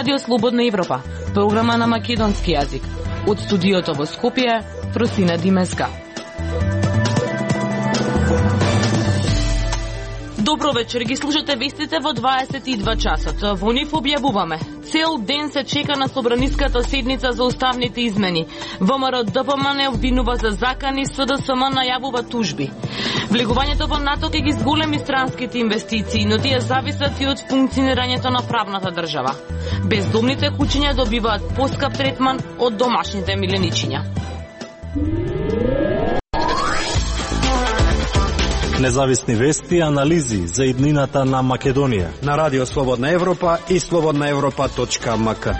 Радио Слободна Европа, програма на македонски јазик. Од студиото во Скопје, Фросина Димеска. Добро вечер, ги слушате вестите во 22 часот. Во нив објавуваме. Цел ден се чека на собраниската седница за уставните измени. ВМРО ДПМН обвинува за закани, СДСМ најавува тужби. Влегувањето во НАТО ќе ги зголеми странските инвестиции, но тие зависат и од функционирањето на правната држава. Бездомните куќиња добиваат поскап третман од домашните миленичиња. Независни вести и анализи за иднината на Македонија на Радио Слободна Европа и slobodnaevropa.mk.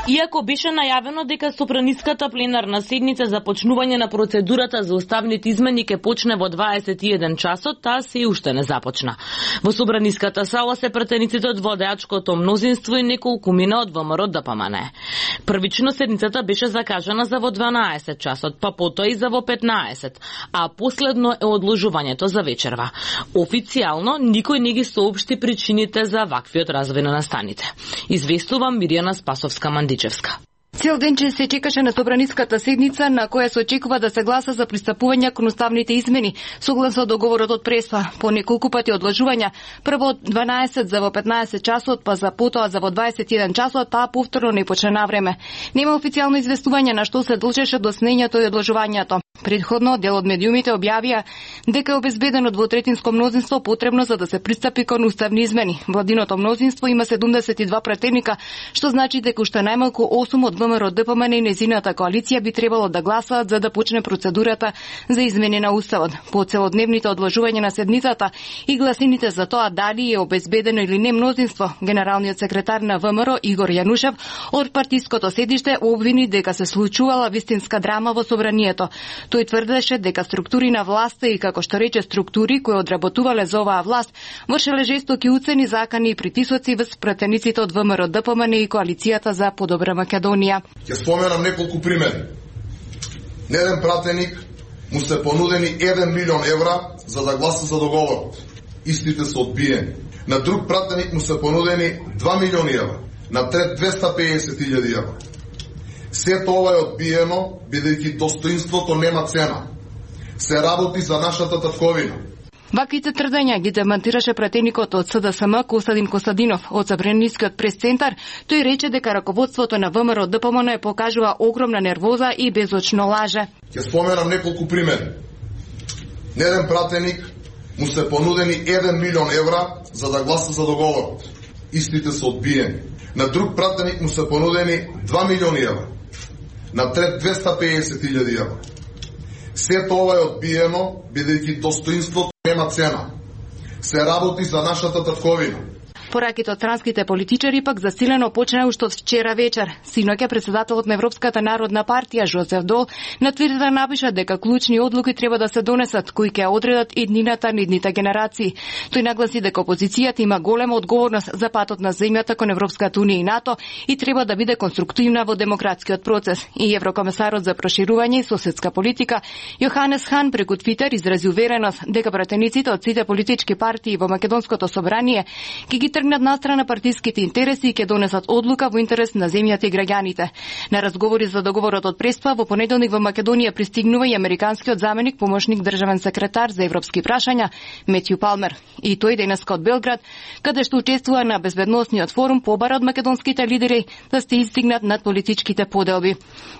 Иако беше најавено дека Собраниската пленарна седница за почнување на процедурата за уставните измени ќе почне во 21 часот, таа се уште не започна. Во Собраниската сала се претениците од водеачкото мнозинство и неколкумина од ВМРО ДПМН. Првично седницата беше закажана за во 12 часот, па потоа и за во 15, а последно е одложувањето за вечерва. Официјално никој не ги соопшти причините за ваквиот развој на настаните. Известува Мирјана Спасовска-Мандичевска. Цел ден се чекаше на Собраниската седница на која се очекува да се гласа за пристапување кон уставните измени, согласно договорот од Преспа. По неколку пати одложувања, прво од 12 за во 15 часот, па за потоа за во 21 часот, таа повторно не почна на време. Нема официјално известување на што се должеше доснењето и одложувањето. Предходно, дел од медиумите објавија дека е обезбедено двотретинско мнозинство потребно за да се пристапи кон уставни измени. Владиното мнозинство има 72 претеника, што значи дека уште најмалку 8 од ВМРО ДПМН и незината коалиција би требало да гласаат за да почне процедурата за измени на уставот. По целодневните одложувања на седницата и гласините за тоа дали е обезбедено или не мнозинство, генералниот секретар на ВМРО Игор Јанушев од партиското седиште обвини дека се случувала вистинска драма во собранието. Тој тврдеше дека структури на власта и, како што рече, структури кои одработувале за оваа власт, вршеле жестоки уцени, закани и притисоци врз претениците од ВМРО ДПМН и коалицијата за подобра Македонија. Ќе споменам неколку примери. На еден пратеник му се понудени 1 милион евра за да гласа за договорот. Истите се одбиени. На друг пратеник му се понудени 2 милиони евра. На трет 250.000 евра. Сето ова е одбиено, бидејќи достоинството нема цена. Се работи за нашата татковина. Ваквите тврдења ги демантираше пратеникот од СДСМ Костадин Костадинов од Собранискиот прес-центар. Тој рече дека раководството на ВМРО ДПМН покажува огромна нервоза и безочно лаже. Ќе споменам неколку примери. На еден пратеник му се понудени 1 милион евра за да гласа за договорот. Истите се одбиени. На друг пратеник му се понудени 2 милиони евра. На трет 250.000 евра. Сето ова е одбиено, бидејќи достоинството нема цена. Се работи за нашата татковина. Пораките од странските политичари пак засилено почна уште од вчера вечер. Синоќа председателот на Европската народна партија Жозеф Дол на Твитер напиша дека клучни одлуки треба да се донесат кои ќе одредат иднината на идните генерации. Тој нагласи дека опозицијата има голема одговорност за патот на земјата кон Европската унија и НАТО и треба да биде конструктивна во демократскиот процес. И еврокомесарот за проширување и соседска политика Јоханес Хан преку Твитер изрази увереност дека пратениците од сите политички партии во Македонското собрание ќе ги тргнат настрана партиските интереси и ќе донесат одлука во интерес на земјата и граѓаните. На разговори за договорот од Преспа во понеделник во Македонија пристигнува и американскиот заменик помошник државен секретар за европски прашања Метју Палмер. И тој денеска од Белград, каде што учествува на безбедносниот форум, побара од македонските лидери да се издигнат над политичките поделби.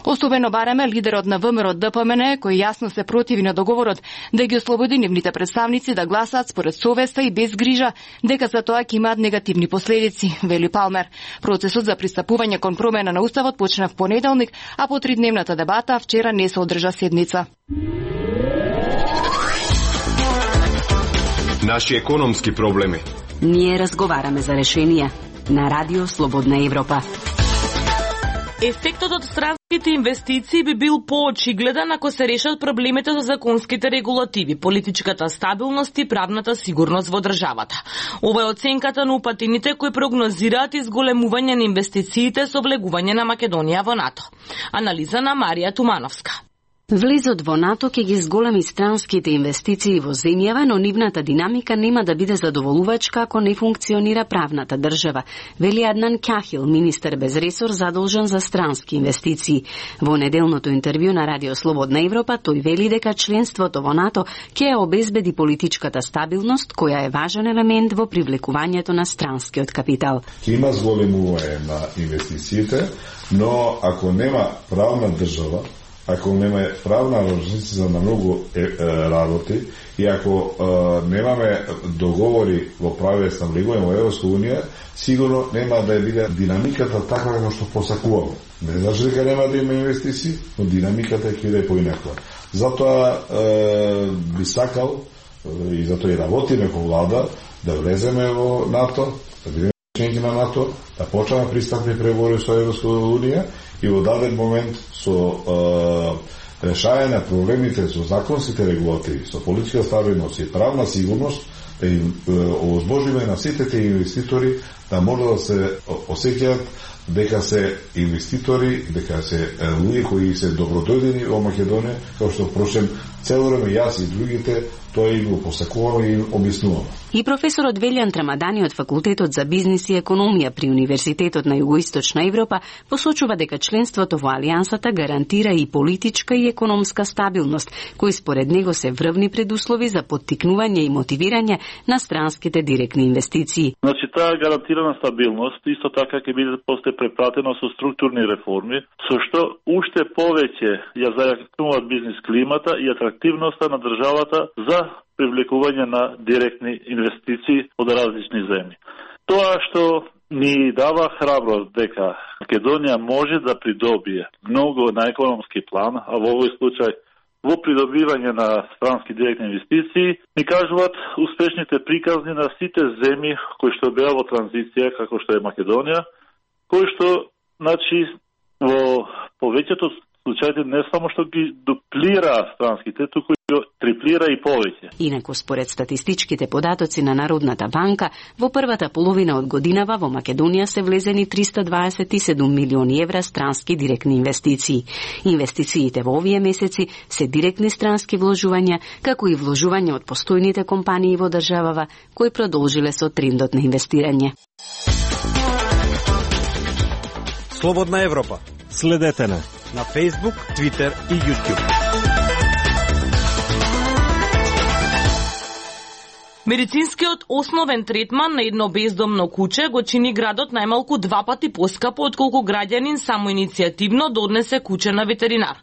Особено бараме лидерот на ВМРО ДПМН, кој јасно се противи на договорот, да ги ослободи нивните представници да гласаат според совеста и без грижа дека за тоа ќе имаат негативни последици, вели Палмер. Процесот за пристапување кон промена на уставот почна в понеделник, а по 3-дневната дебата вчера не се одржа седница. Наши економски проблеми. Ние разговараме за решенија на Радио Слободна Европа. Ефектот од странските инвестиции би бил поочигледен ако се решат проблемите со законските регулативи, политичката стабилност и правната сигурност во државата. Ова е оценката на упатените кои прогнозираат изголемување на инвестициите со влегување на Македонија во НАТО. Анализа на Марија Тумановска. Влезот во НАТО ќе ги зголеми странските инвестиции во земјава, но нивната динамика нема да биде задоволувачка ако не функционира правната држава, вели Аднан Кахил, министер без ресор задолжен за странски инвестиции. Во неделното интервју на Радио Слободна Европа тој вели дека членството во НАТО ќе ја обезбеди политичката стабилност, која е важен елемент во привлекувањето на странскиот капитал. Има зголемување на инвестициите, но ако нема правна држава, ако нема правна организација на многу работи и ако немаме договори во правиле снабдување во Европска унија, сигурно нема да биде динамиката таква како што посакуваме. Не значи дека нема да има инвестиции, но динамиката ќе биде поинаква. Затоа би сакал и затоа и работиме во влада да влеземе во НАТО, да бидеме членки на НАТО, да почнеме пристапни преговори со Европска унија и во даден момент со решање на проблемите со законските регулативи, со политичка стабилност и правна сигурност, да им овозможиме на сите тие инвеститори да може да се осеќаат дека се инвеститори, дека се луѓе кои се добродојдени во Македонија, како што впрочем цело време јас и другите тоа и го посакуваме и објаснуваме. И професорот Велјан Трамадани од Факултетот за бизнис и економија при Универзитетот на Југоисточна Европа посочува дека членството во Алијансата гарантира и политичка и економска стабилност, кои според него се врвни предуслови за поттикнување и мотивирање на странските директни инвестиции. Значи, таа гарантирана стабилност исто така ќе биде после препратено со структурни реформи, со што уште повеќе ја зајакнуваат бизнис климата и атрактивноста на државата за привлекување на директни инвестиции од различни земји. Тоа што ни дава храброст дека Македонија може да придобие многу на економски план, а во овој случај во придобивање на странски директни инвестиции, ни кажуваат успешните приказни на сите земји кои што беа во транзиција, како што е Македонија, кои што, значи, во повеќето случаите не само што ги дуплира странските, туку и триплира и повеќе. Инаку, според статистичките податоци на Народната банка, во првата половина од годинава во Македонија се влезени 327 милиони евра странски директни инвестиции. Инвестициите во овие месеци се директни странски вложувања, како и вложување од постојните компании во државава, кои продолжиле со трендот на инвестирање. Слободна Европа. Следете на Facebook, Twitter и YouTube. Медицинскиот основен третман на едно бездомно куче го чини градот најмалку 2 пати поскапо отколку граѓанин самоиницијативно донесе куче на ветеринар.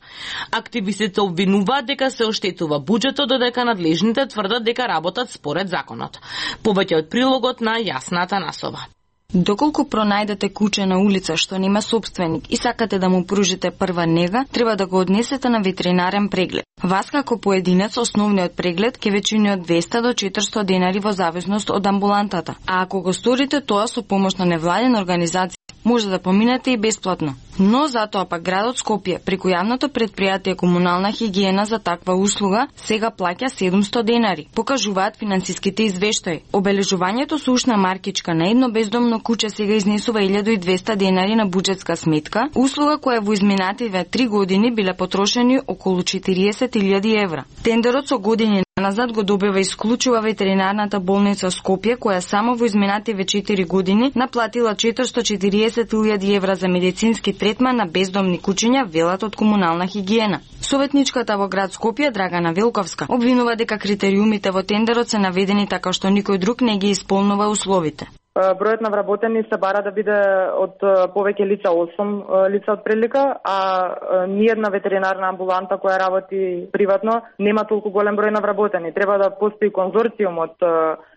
Активистите обвинуваат дека се оштетува буџетот, додека надлежните тврдат дека работат според законот. Повеќе од прилогот на Јасна Атанасова. Доколку пронајдете куче на улица што нема сопственик и сакате да му пружите прва нега, треба да го однесете на ветеринарен преглед. Вас како поединец основниот преглед ќе ве чини од 200 до 400 денари во зависност од амбулантата. А ако го сторите тоа со помош на невладена организација, може да поминете и бесплатно. Но затоа пак градот Скопје преку јавното претпријатие Комунална хигиена за таква услуга сега плаќа 700 денари, покажуваат финансиските извештаи. Обележувањето со ушна маркичка на едно бездомно куче сега изнесува 1200 денари на буџетска сметка, услуга која во изминативе 3 години биле потрошени околу 40.000 евра. Тендерот со години назад го добива исклучува ветеринарната болница Скопје, која само во изминативе 4 години наплатила 440.000 евра за медицински третман на бездомни кучиња, велат од Комунална хигиена. Советничката во град Скопје, Драгана Велковска, обвинува дека критериумите во тендерот се наведени така што никој друг не ги исполнува условите. Бројот на вработени се бара да биде од повеќе лица 8 лица од прилика, а ниедна ветеринарна амбуланта која работи приватно нема толку голем број на вработени. Треба да постои конзорциум од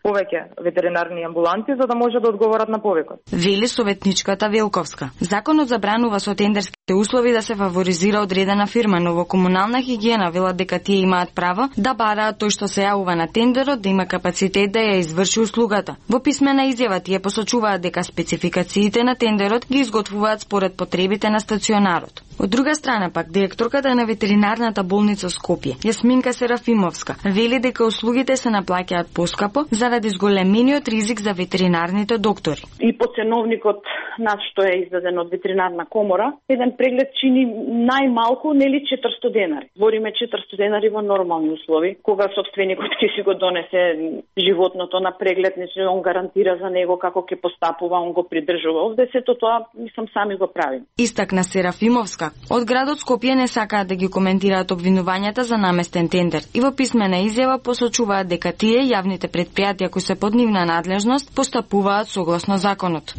повеќе ветеринарни амбуланти за да може да одговорат на повикот. Вели советничката Велковска. Законот забранува со тендерските услови да се фаворизира одредена фирма, но во Комунална хигиена велат дека тие имаат право да бараат тој што се јавува на тендерот да има капацитет да ја изврши услугата. Во писмена изјава тие посочуваат дека спецификациите на тендерот ги изготвуваат според потребите на стационарот. Од друга страна пак, директорката на ветеринарната болница Скопје, Јасминка Серафимовска, вели дека услугите се наплаќаат поскапо заради зголемениот ризик за ветеринарните доктори. И по ценовникот над што е издаден од ветеринарна комора, еден преглед чини најмалку нели 400 денари. Збориме 400 денари во нормални услови, кога собственикот ќе си го донесе животното на преглед, не он гарантира за него како ќе постапува, он го придржува. Овде сето тоа мислам сами го правим. Истакна Серафимовска, од градот Скопје не сакаат да ги коментираат обвинувањата за наместен тендер и во писмена изјава посочуваат дека тие јавните претпријатија кои се под нивна надлежност постапуваат согласно законот.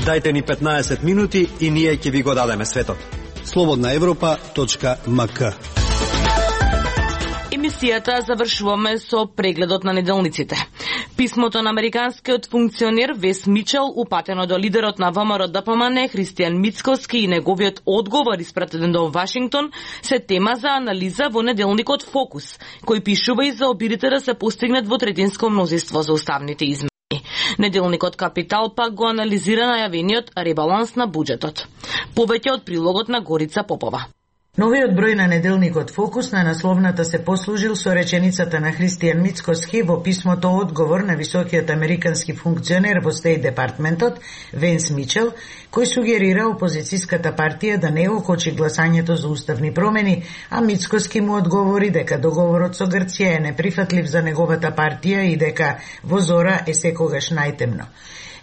Дајте ни 15 минути и ние ќе ви го дадеме светот. slobodnaevropa.mk. Емисијата завршуваме со прегледот на неделниците. Писмото на американскиот функционер Вес Мичел, упатено до лидерот на ВМРО ДПМН Христијан Мицкоски и неговиот одговор испратен до Вашингтон се тема за анализа во неделникот Фокус, кој пишува и за обидите да се постигнат двотретинско мнозинство за уставните измени. Неделникот Капитал пак го анализира најавениот ребаланс на буџетот. Повеќе од прилогот на Горица Попова. Новиот број на неделникот Фокус на насловната се послужил со реченицата на Христијан Мицкоски во писмото одговор на високиот американски функционер во Стејт департментот Венс Мичел, кој сугерира опозицијската партија да не окочи гласањето за уставни промени, а Мицкоски му одговори дека договорот со Грција е неприфатлив за неговата партија и дека во зора е секогаш најтемно.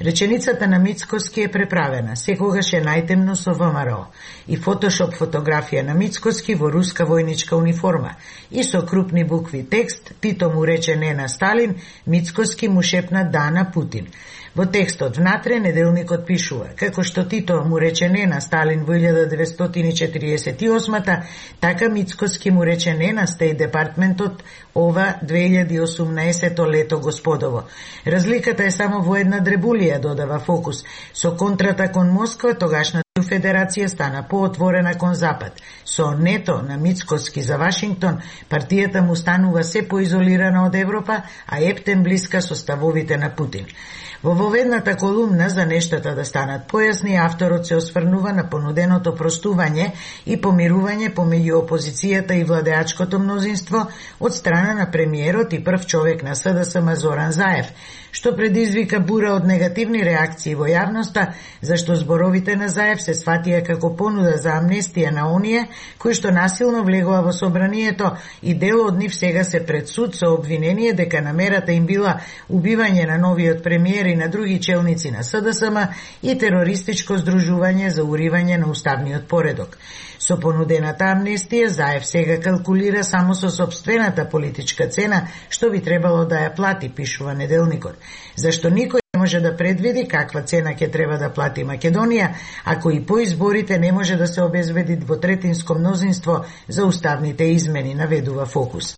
Реченицата на Мицкоски е преправена, секогаш е најтемно со ВМРО, и фотошоп фотографија на Мицкоски во руска војничка униформа, и со крупни букви текст, Тито му рече не на Сталин, Мицкоски му шепна да на Путин. Во текстот внатре неделникот пишува, како што Тито му рече не на Сталин во 1948-та, така Мицкоски му рече не на Стејт департментот ова 2018 лето господово. Разликата е само во една дребулија, додава Фокус. Со контрата кон Москва, тогашната Федерација стана поотворена кон Запад. Со нето на Мицкоски за Вашингтон, партијата му станува се поизолирана од Европа, а ептен блиска со ставовите на Путин. Во воведната колумна за нештата да станат појасни, авторот се осврнува на понуденото простување и помирување помеѓу опозицијата и владеачкото мнозинство од страна на премиерот и прв човек на СДСМ Зоран Заев, што предизвика бура од негативни реакции во јавноста, зашто зборовите на Заев се сватија како понуда за амнестија на оние кои што насилно влегоа во собранието и дел од нив сега се пред суд со обвинение дека намерата им била убивање на новиот премиер и на други челници на СДСМ и терористичко здружување за уривање на уставниот поредок. Со понудената амнестија, Заев сега калкулира само со собствената политичка цена што би требало да ја плати, пишува неделникот. Зашто никој не може да предвиди каква цена ќе треба да плати Македонија, ако и по изборите не може да се обезбеди двотретинско мнозинство за уставните измени, наведува Фокус.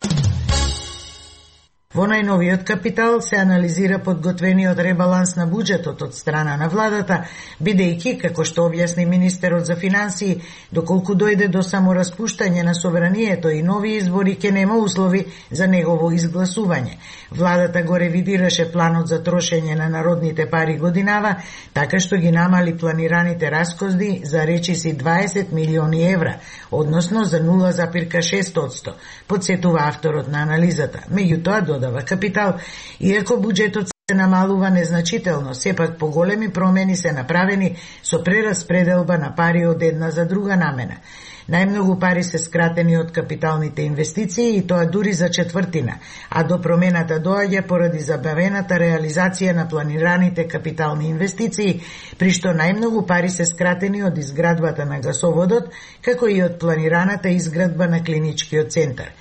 Во најновиот Капитал се анализира подготвениот ребаланс на буџетот од страна на владата, бидејќи, како што објасни министерот за финансии, доколку дојде до самораспуштање на собранието и нови избори, ќе нема услови за негово изгласување. Владата го ревидираше планот за трошење на народните пари годинава, така што ги намали планираните расходи за речиси 20 милиони евра, односно за 0,6%, подсетува авторот на анализата. Меѓутоа, додава Капитал, иако буџетот се намалува незначително, сепак поголеми промени се направени со прераспределба на пари од една за друга намена. Најмногу пари се скратени од капиталните инвестиции и тоа дури за четвртина, а до промената доаѓа поради забавената реализација на планираните капитални инвестиции, при што најмногу пари се скратени од изградбата на гасоводот, како и од планираната изградба на клиничкиот центар.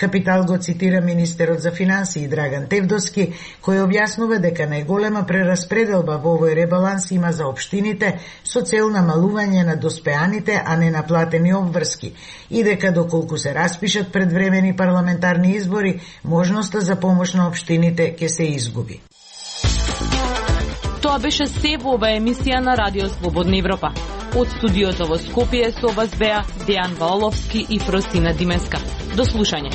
Капитал го цитира министерот за финансии Драган Тевдовски, кој објаснува дека најголема прераспределба во овој ребаланс има за општините со цел намалување на доспеаните, а не наплатени обврски, и дека доколку се распишат предвремени парламентарни избори, можноста за помош на општините ќе се изгуби. Тоа беше се во оваа емисија на Радио Слободна Европа. Од студиото во Скопје со вас беа Дејан Валовски и Фросина Димеска. До слушање.